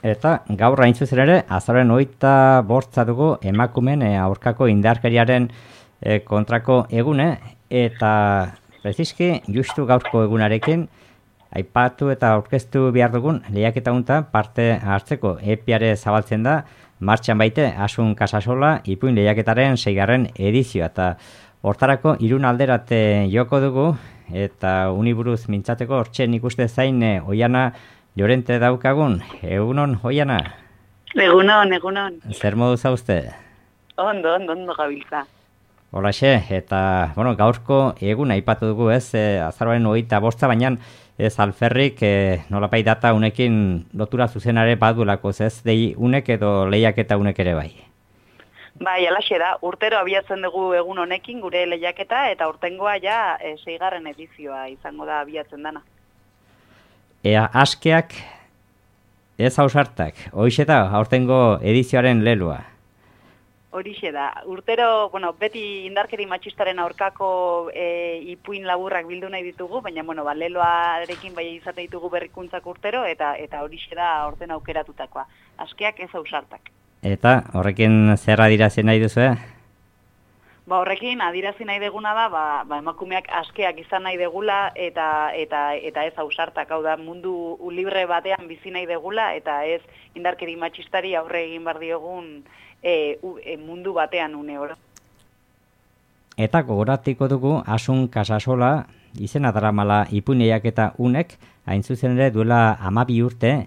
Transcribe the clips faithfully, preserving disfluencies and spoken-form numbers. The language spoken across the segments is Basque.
Eta gaur hain zuzen ere, azaroaren hogeita bortza dugu emakumeen e, aurkako indarkeriaren e, kontrako egune, eta preziski justu gaurko egunarekin aipatu eta aurkeztu behar dugun lehiaketa honetan parte hartzeko epiare zabaltzen da, martxan baite Asun Casasola ipuin lehiaketaren seigarren edizioa, eta hortarako irun alderate joko dugu, eta uniburuz mintzateko hortxen ikuste zain e, Oiana Llorente daukagun. Egunon, Oiana? Egunon, egunon. Zer modu zauzte? Ondo, ondo, ondo gabiltza. Holaxe, eta bueno, gaurko egun aipatu dugu ez, e, azaroaren hogeita bosta, baina ez alferrik e, nolapait data unekin lotura zuzenare badulako, ez dei unek edo lehiaketa unek ere bai? Bai, alaxe da, urtero abiatzen dugu egun honekin gure lehiaketa, eta urtengoa ja e, seigarren edizioa izango da abiatzen dana. Ea, askeak ez hausartak, hoxe da, aurtengo edizioaren lelua. Horixe da, urtero, bueno, beti indarkeri matxistaren aurkako e, ipuin laburrak bildu nahi ditugu, baina, bueno, ba, leloarekin bai izate ditugu berrikuntzak urtero, eta eta horixe da aurten aukeratutakoa. Askeak ez hausartak. Eta horrekin zer adirazi nahi duzu, eh? Ba, horrekin adirazi nahi deguna da, ba, ba, emakumeak askeak izan nahi degula eta eta eta ez ausartak, hau da, mundu libre batean bizi nahi degula eta ez indarkeri matxistari aurre egin bar diogun e, u, e, mundu batean une oro. Eta gogoratiko dugu Asun Casasola izena daramala ipuin lehiaketa unek, hain zuzen ere duela hamabi urte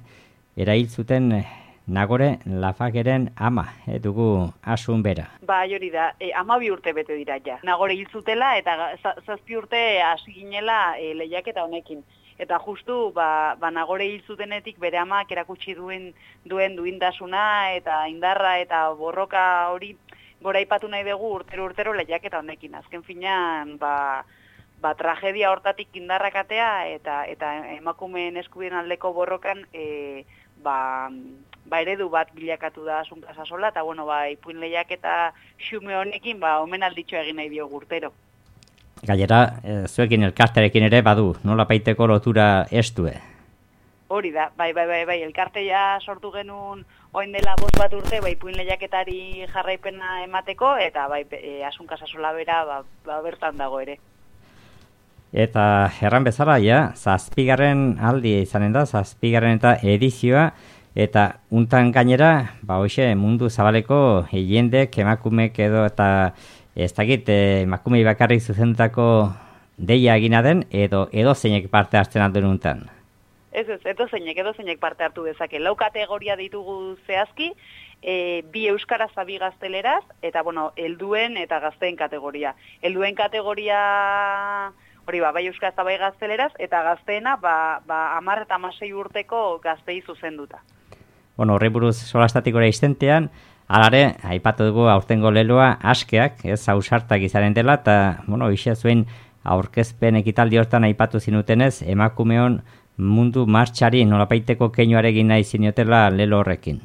erail zuten Nagore Lafageren ama, e, dugu Asun bera. Ba, hori da, e, hamabi urte bete dira ja. Nagore hil zutela eta zazpi urte hasi ginela e, lehiaketa honekin. Eta justu, ba, ba Nagore hil zutenetik bere amak erakutsi duen duen duindasuna eta indarra eta borroka hori goraipatu nahi dugu urtero urtero lehiaketa honekin. Azken finean, ba, ba tragedia hortatik indarrak atea eta eta emakumeen eskubideen aldeko borrokan e, ba, ba eredu bat bilakatu da Asun Casasola, eta bueno, ba, ipuin lehiaketa xume honekin, ba, omenalditxo egin nahi dio urtero. Gainera, e, zuekin elkartearekin ere badu, nola paiteko lotura estue? Hori da, bai, bai, bai, bai, elkartea sortu genuen oin dela bost bat urte, bai, ipuin lehiaketari jarraipena emateko, eta bai, e, Asun Casasola bera, ba, ba, bertan dago ere. Eta erran bezala, ja, zazpigarren aldi izanen da, zazpigarren eta edizioa, eta untan gainera, ba hoxe, mundu zabaleko jendek, emakumek edo eta ez dakit emakumei bakarrik zuzendutako deia egina den, edo edo zeinek parte hartzen alduen untan. Ez ez, edo zeinek, edo zeinek parte hartu dezake. Lau kategoria ditugu zehazki, e, bi euskaraz abi gazteleraz, eta bueno, helduen eta gazteen kategoria. Helduen kategoria hori ba, bai euskaraz eta bai gazteleraz, eta gazteena ba, ba hamar eta hamasei urteko gaztei zuzenduta. Bueno, horri buruz solastatikora izentean, alare, aipatu dugu aurtengo leloa askeak, ez hausartak izaren dela, eta, bueno, ixe zuen aurkezpen ekitaldi hortan aipatu zinutenez, emakumeon mundu martxari nolapaiteko keinuarekin nahi zinotela lelo horrekin.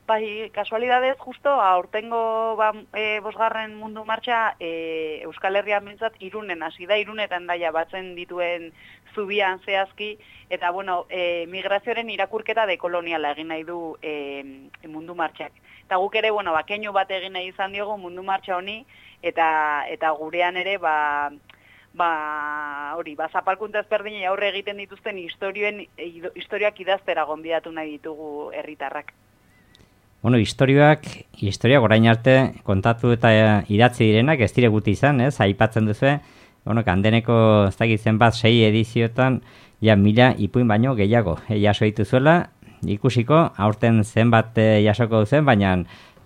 Bai, kasualidadez, justo, aurtengo ba, e, bosgarren mundu martxa e, Euskal Herrian bintzat irunen hasi da, irunetan daia batzen dituen zubian zehazki, eta bueno, e, migrazioaren irakurketa dekoloniala egin nahi du e, mundu martxak. Eta guk ere, bueno, ba, keinu bat egin nahi izan diogu mundu martxa honi, eta, eta gurean ere, ba, ba, hori, ba, zapalkuntza ezberdinei aurre egiten dituzten historioen, historiak idaztera gonbidatu nahi ditugu herritarrak. Bueno, historioak, historiak orain arte kontatu eta idatzi direnak ez dire guti izan, ez? Aipatzen duzu, bueno, kandeneko ez dakit zenbat sei edizioetan ja mila ipuin baino gehiago e, jaso dituzuela, ikusiko aurten zenbat e, jasoko duzen, baina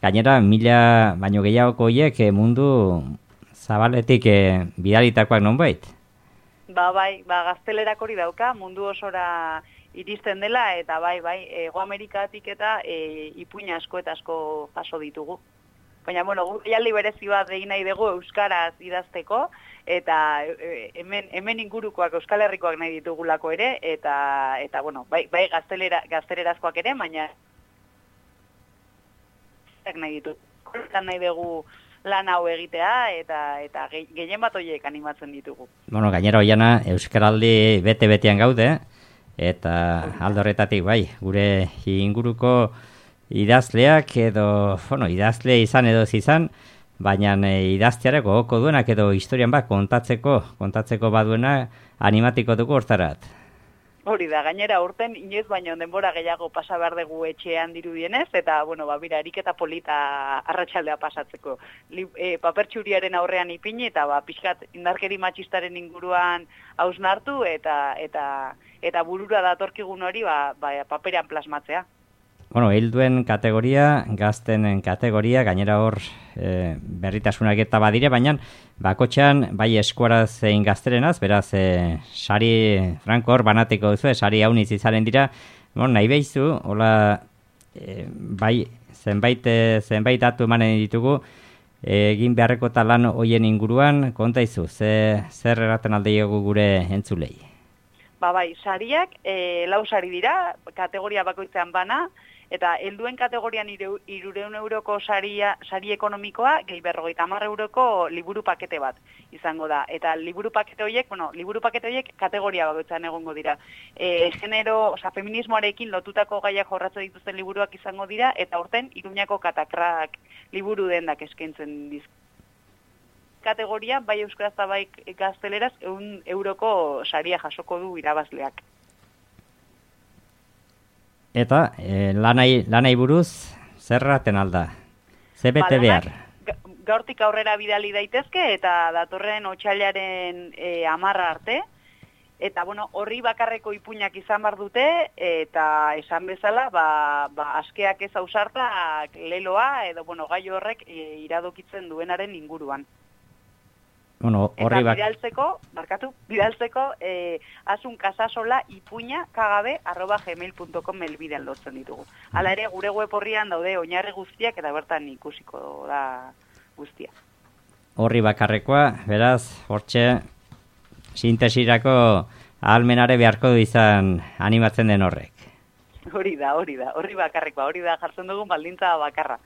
gainera mila baino gehiagoko horiek e, mundu zabaletik e, bidalitakoak nonbait. Ba, bai, ba, gaztelerak hori dauka, mundu osora iristen dela, eta bai, bai, Hego Amerikatik eta e, ipuin asko eta asko jaso ditugu. Baina, bueno, jaialdi berezi bat egin nahi dugu euskaraz idazteko, eta e, hemen, hemen ingurukoak Euskal Herrikoak nahi ditugulako ere, eta, eta bueno, bai, bai gaztelera, gaztelerazkoak ere, baina nahi ditu. Nahi dugu lan hau egitea, eta eta gehien bat horiek animatzen ditugu. Bueno, gainera Oiana, euskaraldi bete-betean gaude, eta alde horretatik bai, gure inguruko idazleak edo, bueno, idazle izan edo izan, baina e, idazteare gogoko duenak edo historian bat kontatzeko, kontatzeko baduena animatiko dugu hortarat. Hori da, gainera urten inoiz baino denbora gehiago pasa behar dugu etxean dirudienez, eta, bueno, ba, bira, ariketa polita arratsaldea pasatzeko. Li, e, papertxuriaren aurrean ipini, eta, ba, pixkat indarkeri matxistaren inguruan hausnartu, eta, eta, eta burura datorkigun hori, ba, ba, paperean plasmatzea. Bueno, helduen kategoria, gazten kategoria, gainera hor e, berritasunak eta badire, baina bakotxean bai eskuaraz zein gazterenaz, beraz, e, sari franko hor banatiko duzu, e, sari hauniz izaren dira, bueno, nahi behizu, hola, e, bai, zenbait, e, zenbait datu emanen ditugu, e, egin beharreko talan hoien inguruan, konta izu, ze, zer erraten alde gure entzulei? Ba bai, sariak, e, lau sari dira, kategoria bakoitzean bana, eta helduen kategorian hiruehun euroko saria, sari ekonomikoa, gehi berrogeita hamar euroko liburu pakete bat izango da. Eta liburu pakete horiek, bueno, liburu pakete horiek kategoria bakoitzan egongo dira. E, genero, oza, feminismoarekin lotutako gaiak jorratzen dituzten liburuak izango dira, eta horten Iruñako katakrak liburu dendak eskaintzen dizk. Kategoria, bai euskaraz eta bai gazteleraz, ehun euroko saria jasoko du irabazleak. Eta e, lanai, lanai buruz, zerraten alda? Ze bete behar? Gaurtik aurrera bidali daitezke, eta datorren otsailaren e, amarra arte, eta bueno, horri bakarreko ipuinak izan bar dute, eta esan bezala, ba, ba, askeak ez ausartak leloa, edo bueno, gai horrek e, iradokitzen duenaren inguruan. Bueno, horri eta bidaltzeko, barkatu, bidaltzeko eh, asun kasasola ipuina kagabe arroba gmail punto com elbidean lotzen ditugu. Hala ere, gure web horrian daude oinarri guztiak eta bertan ikusiko da guztia. Horri bakarrekoa, beraz, hortxe, sintesirako ahalmenare beharko du izan animatzen den horrek. Hori da, hori da, horri bakarrekoa, hori da jartzen dugun baldintza bakarra.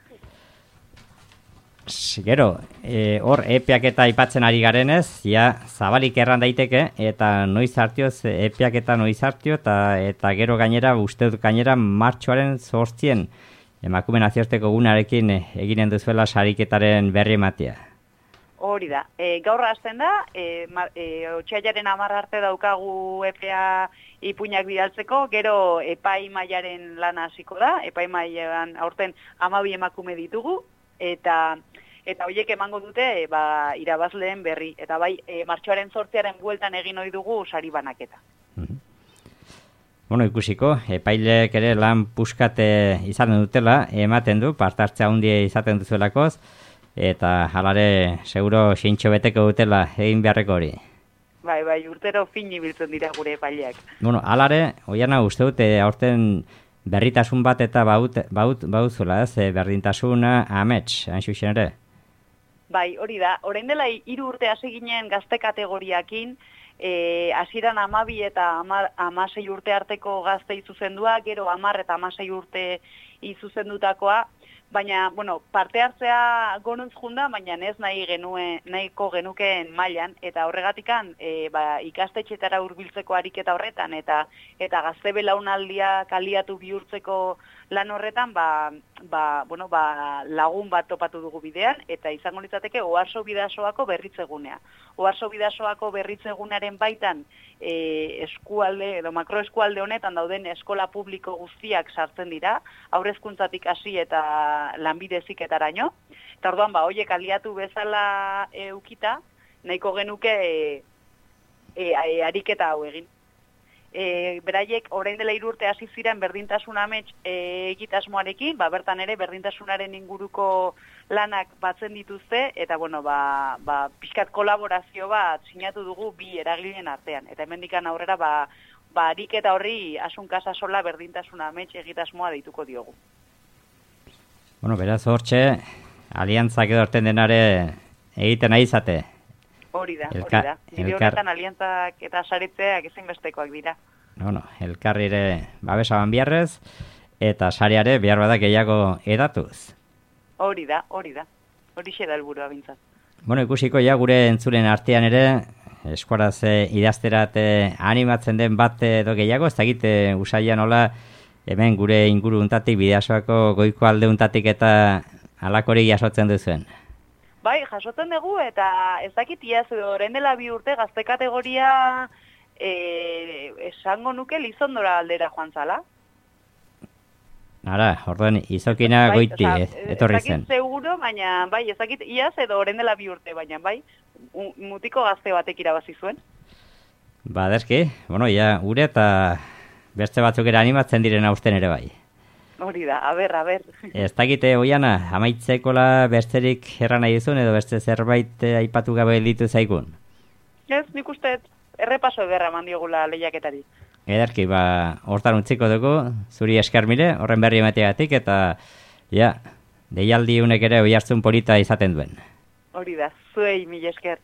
Gero, e, hor epeak eta aipatzen ari garenez, ja, zabalik erran daiteke, eta noiz hartioz, epeak eta noiz hartio, eta, eta gero gainera, uste dut gainera, martxoaren zortzien, emakume nazioarteko gunarekin eginen duzuela sariketaren berri ematea. Hori da, e, gaur hasten da, e, e, otsailaren hamar arte daukagu epea ipuinak bidaltzeko, gero epai mailaren lana hasiko da, epai mailan aurten hamabi emakume ditugu, eta eta horiek emango dute ba, irabazleen berri. Eta bai, e, martxoaren zortziaren bueltan egin ohi dugu sari banaketa. Mm-hmm. Bueno, ikusiko, epailek ere lan puskate izaten dutela, ematen du, partartzea handia izaten duzuelakoz, eta halare, seguro, xintxo beteko dutela egin beharreko hori. Bai, bai, urtero fin ibiltzen dira gure epaileak. Bueno, halare, oiana uste dute, aurten berritasun bat eta baut, baut, bauzula, ez, berdintasuna amets, hain xuxen ere? Bai, hori da, orain dela hiru urte hasi ginen gazte kategoriakin, e, hasieran hamabi eta hamasei urte arteko gazte izuzendua, gero hamar eta hamasei urte izuzendutakoa, baina, bueno, parte hartzea gonuntz junda, baina ez nahi genuen, nahiko genukeen mailan, eta horregatikan e, ba, ikastetxetara hurbiltzeko ariketa horretan, eta eta gazte belaunaldia kaliatu bihurtzeko lan horretan, ba, ba, bueno, ba, lagun bat topatu dugu bidean, eta izango litzateke Oarso Bidasoako berritzegunea. Oarso Bidasoako berritzegunearen baitan e, eskualde, edo makroeskualde honetan dauden eskola publiko guztiak sartzen dira, haurrezkuntzatik hasi eta lanbide heziketaraino. Eta orduan, ba, hoiek aliatu bezala eukita, nahiko genuke e, e, e, ariketa hau egin. E, beraiek orain dela hiru urte hasi ziren berdintasun amets e, egitasmoarekin, ba, bertan ere berdintasunaren inguruko lanak batzen dituzte, eta bueno, ba, ba, pixkat kolaborazio bat sinatu dugu bi eragileen artean. Eta hemendikan aurrera, ba, ba, ariketa horri Asun Kasasola berdintasun amets egitasmoa deituko diogu. Bueno, beraz hortxe, aliantzak edo orten denare egiten nahi izate. Hori da, hori da. Bide honetan aliantzak eta saretzeak ezinbestekoak dira. No, no, elkarrire babesaban biarrez, eta sareare behar badak gehiago edatuz. Hori da, hori da. Hori xe da helburua bintzat. Bueno, ikusiko ja gure entzulen artean ere, eskuaraz e, idazterat e, animatzen den bat edo gehiago, ez dakit e, usaila nola hemen gure inguru untatik, Bidasoako goiko alde untatik eta alakorik jasotzen duzuen. Bai, jasotzen dugu eta ez dakit iaz orain dela bi urte gazte kategoria e, esango nuke Lizondora aldera joan zala. Ara, orduan, izokina bai, goiti, oza, eh, etorri zen. Ezakit seguro, baina, bai, ezakit iaz edo orain dela bi urte, baina, bai, mutiko gazte batek irabazi zuen. Ba, derki, bueno, ja, gure eta beste batzuk ere animatzen diren hausten ere bai. Hori da, a ber, a ber. Ez dakite, Oiana, amaitzekola besterik erran nahi duzun, edo beste zerbait aipatu gabe ditu zaigun? Ez, nik uste, errepaso ederra mandiogula lehiaketari. Ederki, ba, hortan utziko dugu, zuri esker mire, horren berri emateagatik, eta, ja, deialdi unek ere oihartzun polita izaten duen. Hori da, zuei mila esker.